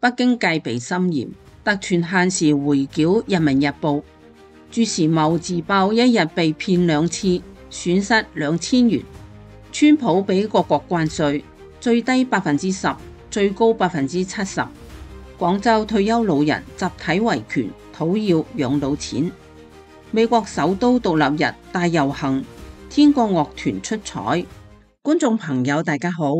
北京戒備森嚴，特權限時回繳人民日報。朱時茂自爆一日被騙2次，損失2000元。川普俾各國關稅，最低10%，最高70%。廣州退休老人集體維權，討要養老錢。美國首都獨立日大遊行，天國樂團出彩。觀眾朋友大家好。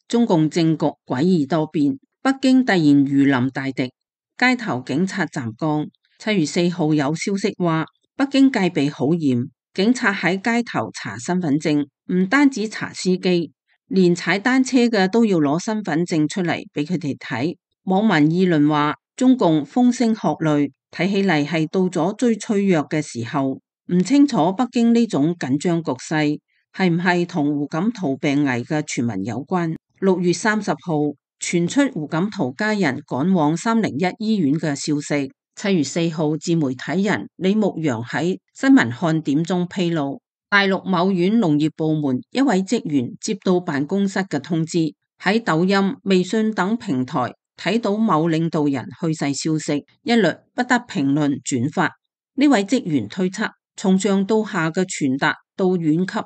中共政局詭異多變，北京突然如臨大敵，街頭警察站崗。7月4號有消息話，北京戒備好嚴，警察喺街頭查身份證，唔單止查司機，連踩單車嘅都要攞身份證出嚟俾佢哋睇。網民議論話，中共風聲鶴唳，睇起嚟係到咗最脆弱嘅時候。唔清楚北京呢種緊張局勢係唔係同胡錦濤病危嘅傳聞有關。6月30號傳出胡錦濤家人趕往301醫院嘅消息。7月4號自媒體人李牧陽喺新聞看點中披露，大陸某縣農業部門一位職員接到辦公室嘅通知，喺抖音、微信等平台睇到某領導人去世消息，一律不得評論轉發。呢位職員推測，從上到下嘅傳達到縣級，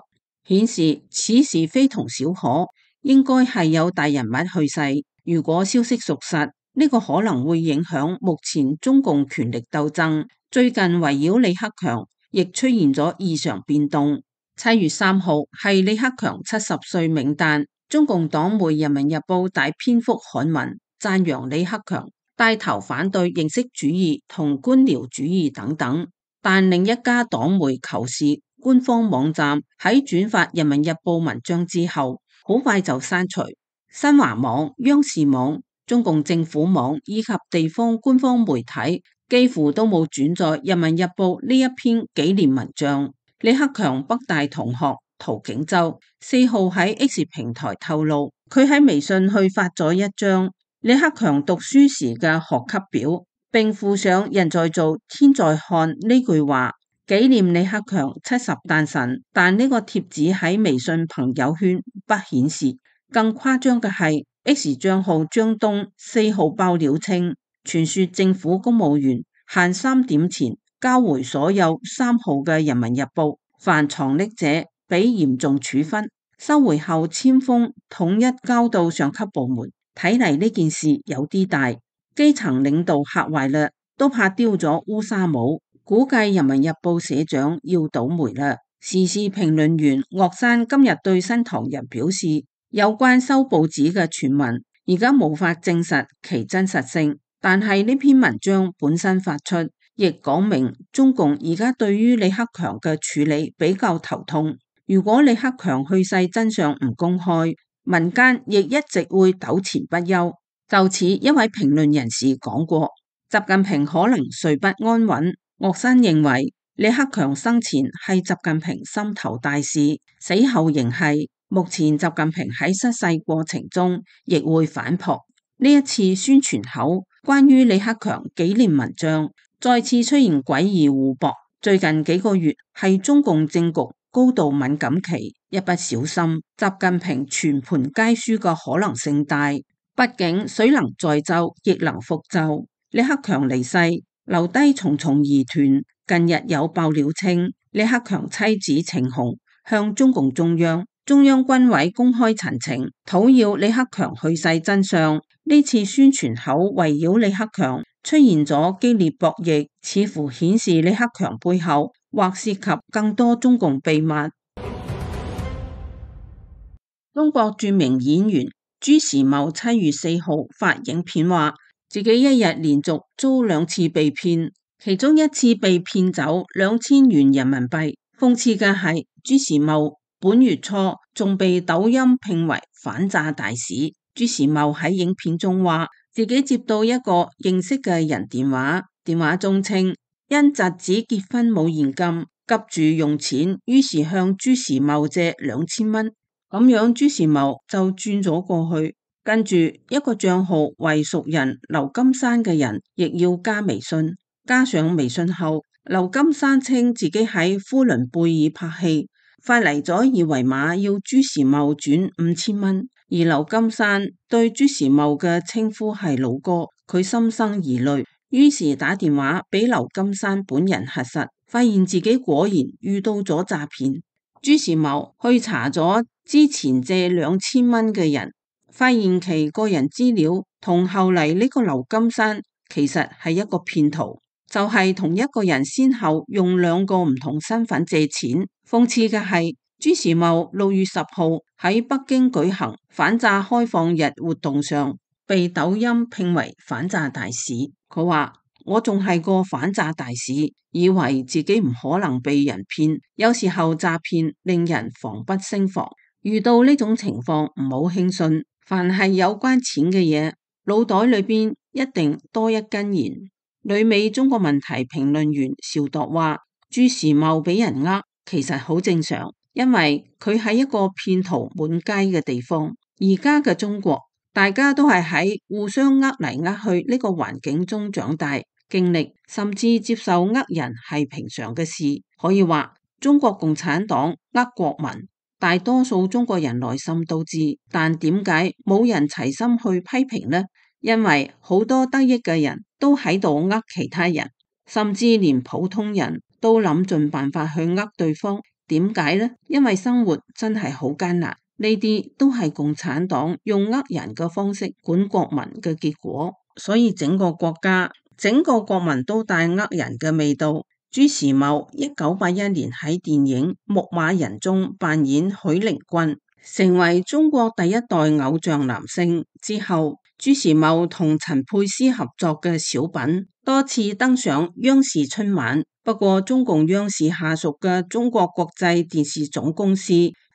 顯示此事非同小可，應該係有大人物去世。如果消息屬實，呢個可能會影響目前中共權力鬥爭。最近圍繞李克強亦出現咗異常變動。7月3號係李克強70歲冥誕，中共黨媒《人民日報》大篇幅刊文讚揚李克強，帶頭反對形式主義同官僚主義等等。但另一家黨媒《求是》官方網站喺轉發《人民日報》文章之後，好快就刪除。新華網、央視網、中共政府網以及地方官方媒體幾乎都冇轉載《人民日報》呢一篇紀念文章。李克強北大同學陶景洲4號喺 X 平台透露，佢喺微信去發咗一張李克強讀書時嘅學級表，並附上人在做天在看呢句話，紀念李克強70誕辰。但呢個貼紙喺微信朋友圈不顯示。更誇張嘅係 X 賬號張東4號爆料稱，傳說政府公務員限3點前交回所有3號嘅人民日報，凡藏匿者俾嚴重處分，收回後簽封統一交到上級部門。睇嚟呢件事有啲大，基層領導嚇壞啦，都怕丟咗烏紗帽。估計人民日報社長要倒霉啦。時事評論員岳山今日對新唐人表示，有關收報紙嘅傳聞而家無法證實其真實性，但係呢篇文章本身發出，亦講明中共而家對於李克強嘅處理比較頭痛。如果李克強去世真相唔公開，民間亦一直會糾纏不休。就此一位評論人士講過，習近平可能睡不安穩。岳山認為李克強生前係習近平心頭大事，死後仍係。目前習近平喺失勢過程中亦會反撲。呢一次宣傳口關於李克強紀念文章再次出現詭異互駁。最近幾個月係中共政局高度敏感期，一不小心習近平全盤皆輸嘅可能性大。畢竟水能載舟亦能覆舟，李克強離世留低重重疑團。近日有爆料稱，李克強妻子程紅向中共中央軍委公開陳情，討要李克強去世真相。呢次宣傳口圍繞李克強出現咗激烈博弈，似乎顯示李克強背後或涉及更多中共秘密。中國著名演員朱時茂7月4號發影片話，自己一日連續遭2次被騙，其中一次被騙走2000元人民幣。諷刺嘅係，朱時茂本月初仲被抖音聘為反詐大使。朱時茂喺影片中話，自己接到一個認識嘅人電話，電話中稱因侄子結婚冇現金，急住用錢，於是向朱時茂借2000蚊。咁樣朱時茂就轉咗過去，跟住一個賬號為熟人劉金山嘅人亦要加微信，加上微信後，劉金山稱自己喺呼倫貝爾拍戲，發嚟咗二維碼要朱時茂轉5000蚊。而劉金山對朱時茂嘅稱呼係老哥，佢心生疑慮，於是打電話俾劉金山本人核實，發現自己果然遇到咗詐騙。朱時茂去查咗之前借2000蚊嘅人，發現其個人資料同後嚟呢個劉金山其實係一個騙徒，就係同一個人先後用2個唔同身份借錢。諷刺嘅係，朱時茂6月10號喺北京舉行反詐開放日活動上，被抖音聘為反詐大使。佢話：我仲係個反詐大使，以為自己唔可能被人騙。有時候詐騙令人防不勝防，遇到呢種情況唔好輕信。凡係有關錢嘅嘢，腦袋裏邊一定多一根弦。旅美中國問題評論員邵度話：朱時茂俾人呃，其實好正常，因為佢喺一個騙徒滿街嘅地方。而家嘅中國，大家都係喺互相呃嚟呃去呢個環境中長大。經歷甚至接受呃人係平常嘅事，可以話中國共產黨呃國民，大多數中國人內心都知，但點解冇人齊心去批評呢？因為好多得益嘅人都喺度呃其他人，甚至連普通人都諗盡辦法去呃對方。點解呢？因為生活真係好艱難，呢啲都係共產黨用呃人嘅方式管國民嘅結果，所以整個國家，整個國民都帶呃人嘅味道。朱時茂1981年喺電影《牧馬人》中扮演許靈均，成為中國第一代偶像男星之後，朱時茂同陳佩斯合作嘅小品多次登上央視春晚。不過中共央視下屬嘅中國國際電視總公司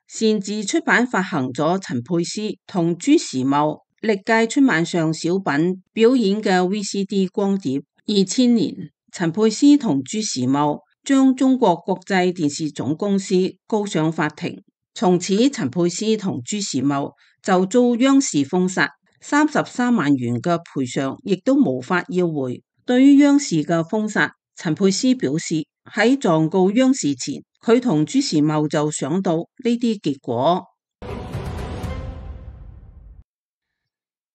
擅自出版發行咗陳佩斯同朱時茂歷屆春晚上小品表演嘅 VCD 光碟。2000年，陳佩斯同朱時茂將中國國際電視總公司告上法庭，從此陳佩斯同朱時茂就遭央視封殺，33萬元嘅賠償亦都無法要回。對於央視嘅封殺，陳佩斯表示喺狀告央視前，佢同朱時茂就想到呢啲結果。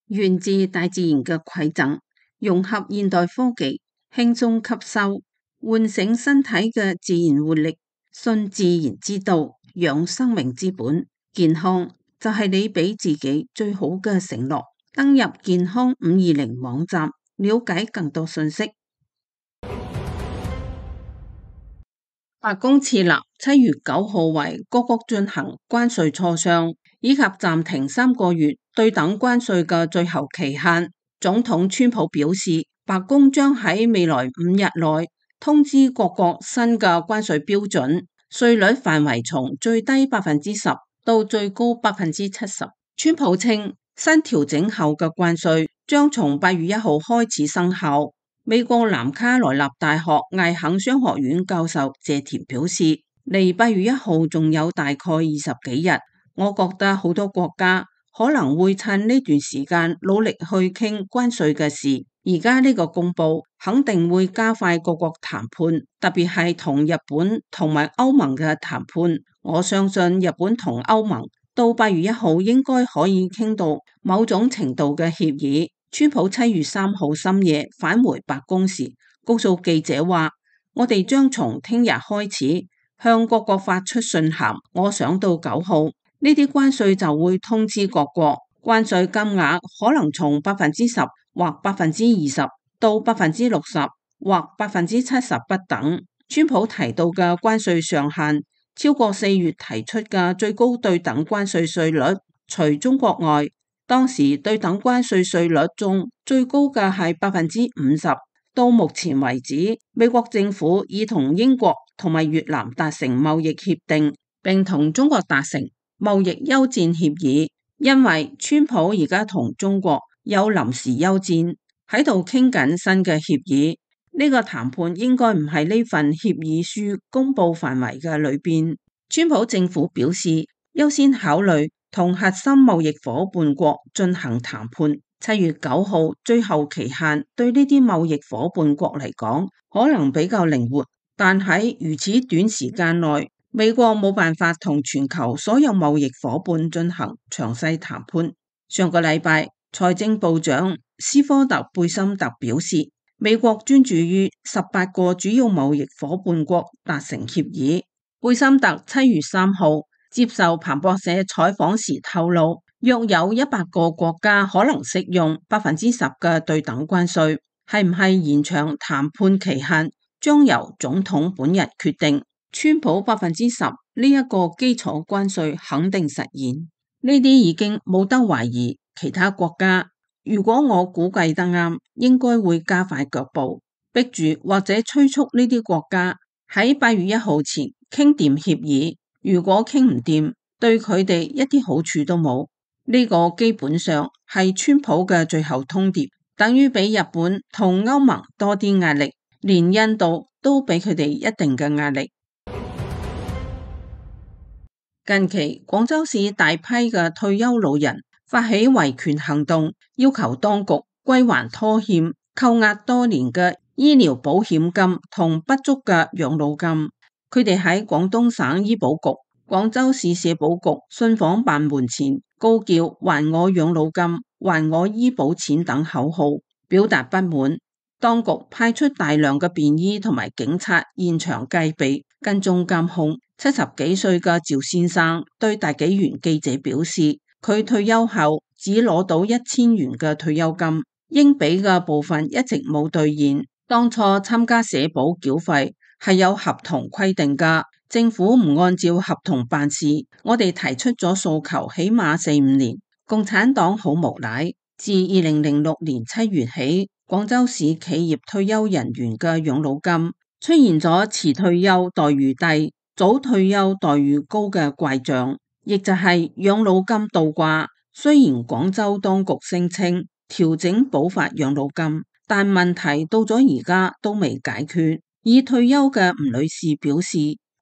源自大自然嘅饋贈，融合現代科技，輕鬆吸收，喚醒身體嘅自然活力，信自然之道，養生命之本。健康就係你俾自己最好嘅承諾。登入健康520網站，了解更多信息。白宮設立7月9號為各國進行關稅磋商，以及暫停3個月對等關稅嘅最後期限。總統川普表示，白宮將喺未來5日內通知各國新嘅關稅標準，稅率範圍從最低10%到最高70%。川普稱，新調整後嘅關稅將從8月1號開始生效。美國南卡羅來納大學艾肯商學院教授謝田表示，離8月1號仲有大概20幾日，我覺得好多國家可能會趁呢段時間努力去傾關稅嘅事。而家呢個公佈肯定會加快各國談判，特別係同日本同埋歐盟嘅談判。我相信日本同歐盟到8月1號應該可以傾到某種程度嘅協議。川普7月3號深夜返回白宮時，告訴記者話：我哋將從聽日開始向各國發出信函。我想到9號呢啲關稅就會通知各國，關稅金額可能從10%或20%到60%或70%不等。川普提到嘅關稅上限超過4月提出嘅最高對等關稅稅率，除中國外，當時對等關稅稅率中最高嘅係50%。到目前為止，美國政府已同英國同埋越南達成貿易協定，並同中國達成貿易休戰協議。因為川普而家同中國有臨時休戰，喺度傾緊新嘅協議。呢個談判應該唔係呢份協議書公布範圍嘅裏邊。川普政府表示，優先考慮同核心貿易夥伴國進行談判。7月9號最後期限對呢啲貿易夥伴國嚟講可能比較靈活，但喺如此短時間內美國冇辦法同全球所有貿易夥伴進行詳細談判。上個禮拜，財政部長斯科特貝森特表示，美國專注於18個主要貿易夥伴國達成協議。貝森特7月3號接受彭博社採訪時透露，約有100個國家可能適用10%嘅對等關稅，係唔係延長談判期限將由總統本人決定。川普10%呢一個基礎關稅肯定實現，呢啲已經冇得懷疑。其他國家如果我估計得啱，應該會加快腳步，逼住或者催促呢啲國家喺8月1號前傾掂協議。如果傾唔掂，對佢哋一啲好處都冇。呢個基本上係川普嘅最後通牒，等於俾日本同歐盟多啲壓力，連印度都俾佢哋一定嘅壓力。近期廣州市大批嘅退休老人發起維權行動，要求當局歸還拖欠、扣押多年嘅醫療保險金同不足嘅養老金。佢哋喺廣東省醫保局、廣州市社保局信訪辦門前高叫還我養老金、還我醫保錢等口號，表達不滿。當局派出大量嘅便衣同埋警察現場戒備跟蹤監控。70幾歲嘅趙先生對大紀元記者表示，佢退休後只攞到1000元嘅退休金，應俾嘅部分一直冇兌現。當初參加社保繳費係有合同規定㗎，政府唔按照合同辦事，我哋提出咗訴求起碼4-5年。共產黨好無賴，自2006年7月起，廣州市企業退休人員嘅養老金出現咗遲退休待遇低、早退休待遇高嘅怪象，亦就係養老金倒掛。雖然廣州當局聲稱調整補發養老金，但問題到咗而家都未解決。已退休嘅吳女士表示，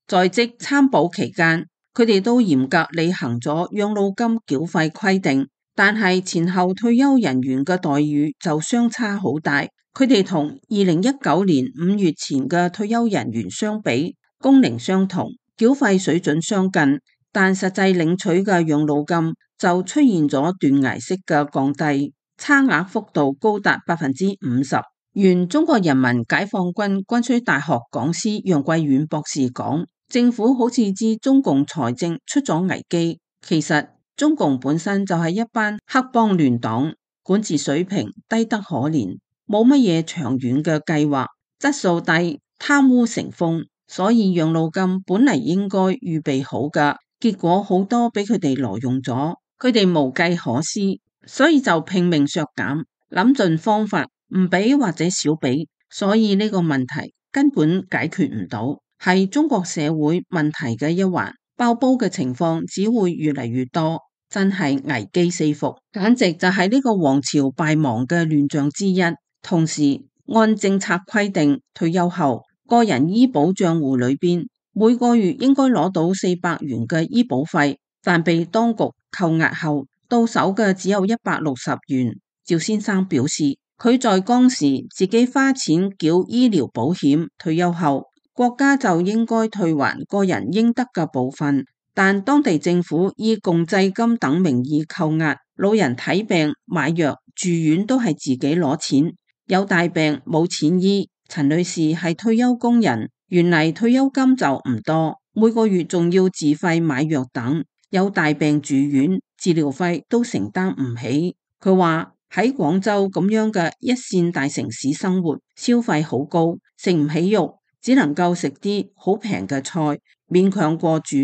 在職參保期間，佢哋都嚴格履行咗養老金繳費規定，但係前後退休人員嘅待遇就相差好大。佢哋同2019年5月前嘅退休人員相比，工齡相同，繳費水準相近，但實際領取嘅養老金就出現咗斷崖式嘅降低，差額幅度高達50%。原中國人民解放軍軍需大學講師楊貴遠博士講，政府好似知中共財政出咗危機，其實中共本身就係一班黑幫亂黨，管治水平低得可憐，冇乜嘢長遠嘅計劃，質素低，貪污成風。所以養老金本嚟應該預備好㗎，結果好多俾佢哋挪用咗，佢哋無計可施，所以就拼命削減，諗盡方法唔俾或者少俾，所以呢個問題根本解決唔到，係中國社會問題嘅一環，爆煲嘅情況只會越嚟越多，真係危機四伏，簡直就係呢個王朝敗亡嘅亂象之一。同時按政策規定，退休後個人醫保賬戶裏邊每個月應該攞到400元嘅醫保費，但被當局扣押後到手嘅只有160元。趙先生表示，佢在江時自己花錢繳醫療保險，退休後國家就應該退還個人應得嘅部分，但當地政府以共濟金等名義扣押，老人睇病買藥住院都係自己攞錢，有大病冇錢醫。陳女士係退休工人，原嚟退休金就唔多，每個月仲要自費買藥等，有大病住院，治療費都承擔唔起。佢話喺廣州咁樣嘅一線大城市生活，消費好高，食唔起肉，只能夠食啲好平嘅菜，勉強過住。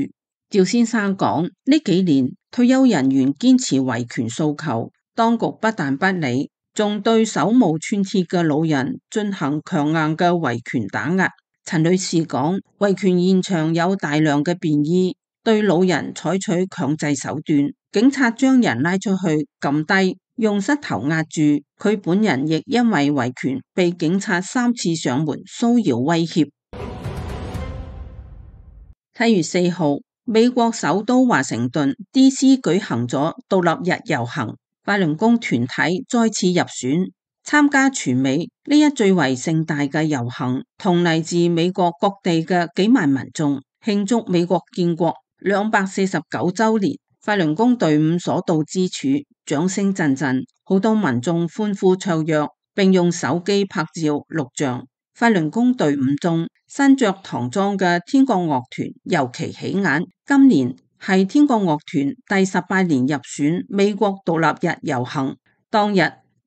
趙先生講，呢幾年退休人員堅持維權訴求，當局不但不理，仲對手無寸鐵嘅老人進行強硬嘅維權打壓。陳女士講，維權現場有大量嘅便衣，對老人採取強制手段，警察將人拉出去撳低，用膝頭壓住。佢本人亦因為維權被警察3次上門騷擾威脅。7月4號，美國首都華盛頓 DC 舉行咗獨立日遊行，法輪功團體再次入選參加全美呢一最為盛大嘅遊行，同嚟自美國各地嘅幾萬民眾慶祝美國建國249週年，法輪功隊伍所到之處，掌聲陣陣，好多民眾歡呼雀躍，並用手機拍照錄像。法輪功隊伍中，身着唐裝嘅天國樂團尤其起眼。今年係天國樂團第18年入選美國獨立日遊行，當日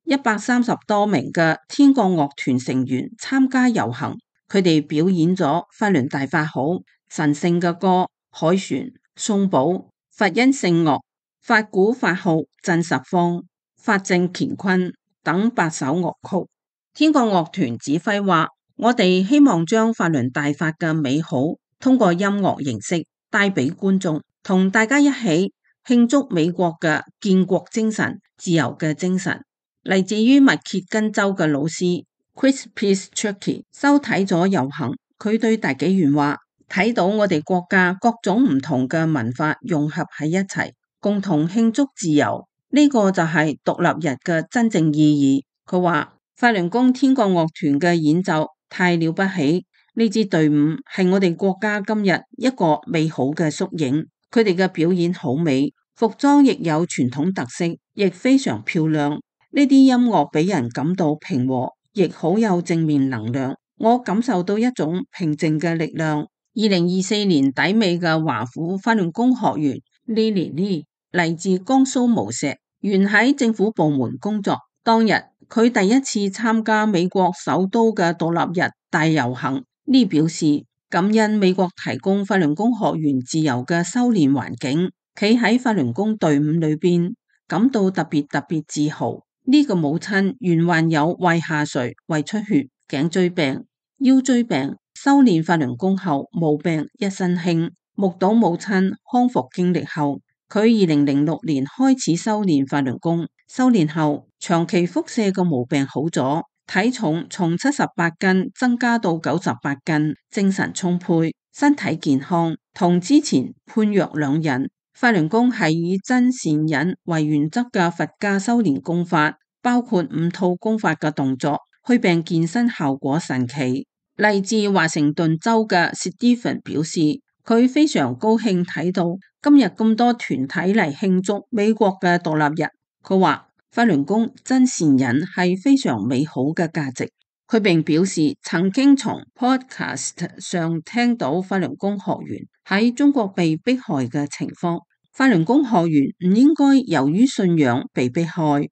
130多名嘅天國樂團成員參加遊行，佢哋表演咗法輪大法好、神聖嘅歌、凱旋、頌寶、佛音聖樂、法鼓法號震十方、法正乾坤等8首樂曲。天國樂團指揮話：我哋希望將法輪大法嘅美好通過音樂形式帶俾觀眾，同大家一起慶祝美國嘅建國精神、自由嘅精神。嚟自於密歇根州嘅老師 Chris Pistricki 收睇咗遊行，佢對大紀元話：睇到我哋國家各種唔同嘅文化融合喺一齊，共同慶祝自由，呢個就係獨立日嘅真正意義。佢話法輪功天國樂團嘅演奏太了不起，呢支隊伍係我哋國家今日一個美好嘅縮影。佢哋嘅表演好美，服裝亦有傳統特色，亦非常漂亮。呢啲音樂俾人感到平和，亦好有正面能量。我感受到一種平靜嘅力量。2024年底尾嘅華府法輪功學員 Lily Lee 嚟自江蘇無錫，原喺政府部門工作。當日佢第一次參加美國首都嘅獨立日大遊行。Lee 表示感恩美國提供法輪功學員自由嘅修煉環境，企喺法輪功隊伍裏邊，感到特別自豪。呢個母親原患有胃下垂、胃出血、頸椎病、腰椎病，修煉法輪功後無病一身輕。目睹母親康復經歷後，佢2006年開始修煉法輪功，修煉後長期腹瀉嘅毛病好咗，體重從78斤增加到98斤，精神充沛，身體健康，同之前判若兩人。法輪功係以真善忍為原則嘅佛家修煉功法，包括5套功法嘅動作，祛病健身效果神奇。嚟自華盛頓州嘅 Stephen 表示，佢非常高興睇到今日咁多團體嚟慶祝美國嘅獨立日。佢話法輪功真善忍係非常美好嘅價值。佢並表示曾經從 podcast 上聽到法輪功學員喺中國被迫害嘅情況，法輪功學員唔應該由於信仰被迫害。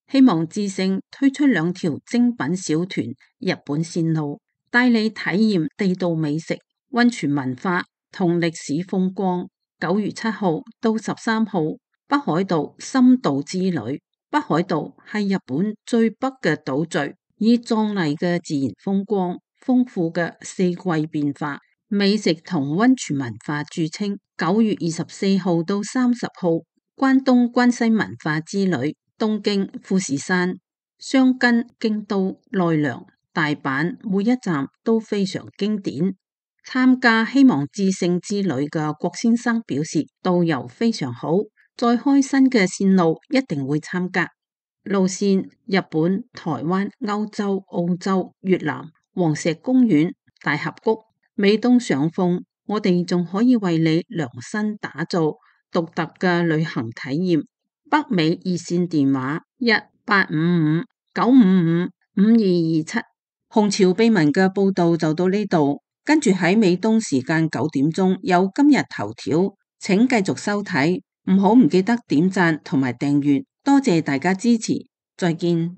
希望之聲推出2條精品小團日本線路，帶你體驗地道美食、溫泉文化同歷史風光。9月7號到13號，北海道深度之旅。北海道係日本最北嘅島嶼，以壯麗嘅自然風光、豐富嘅四季變化、美食同溫泉文化著稱。9月24號到30號，關東關西文化之旅，東京、富士山、箱根、京都、奈良、大阪，每一站都非常經典。參加希望之星之旅嘅郭先生表示，導遊非常好。再開新嘅線路一定會參加。路線：日本、台灣、歐洲、澳洲、越南、黃石公園、大峽谷。美東上風，我哋仲可以為你量身打造獨特嘅旅行體驗。北美熱線電話1855-955-5227。紅潮秘聞嘅報道就到呢度，跟住喺美東時間9點鐘有今日頭條，請繼續收睇。唔記得點讚同埋訂閱，多謝大家支持，再見。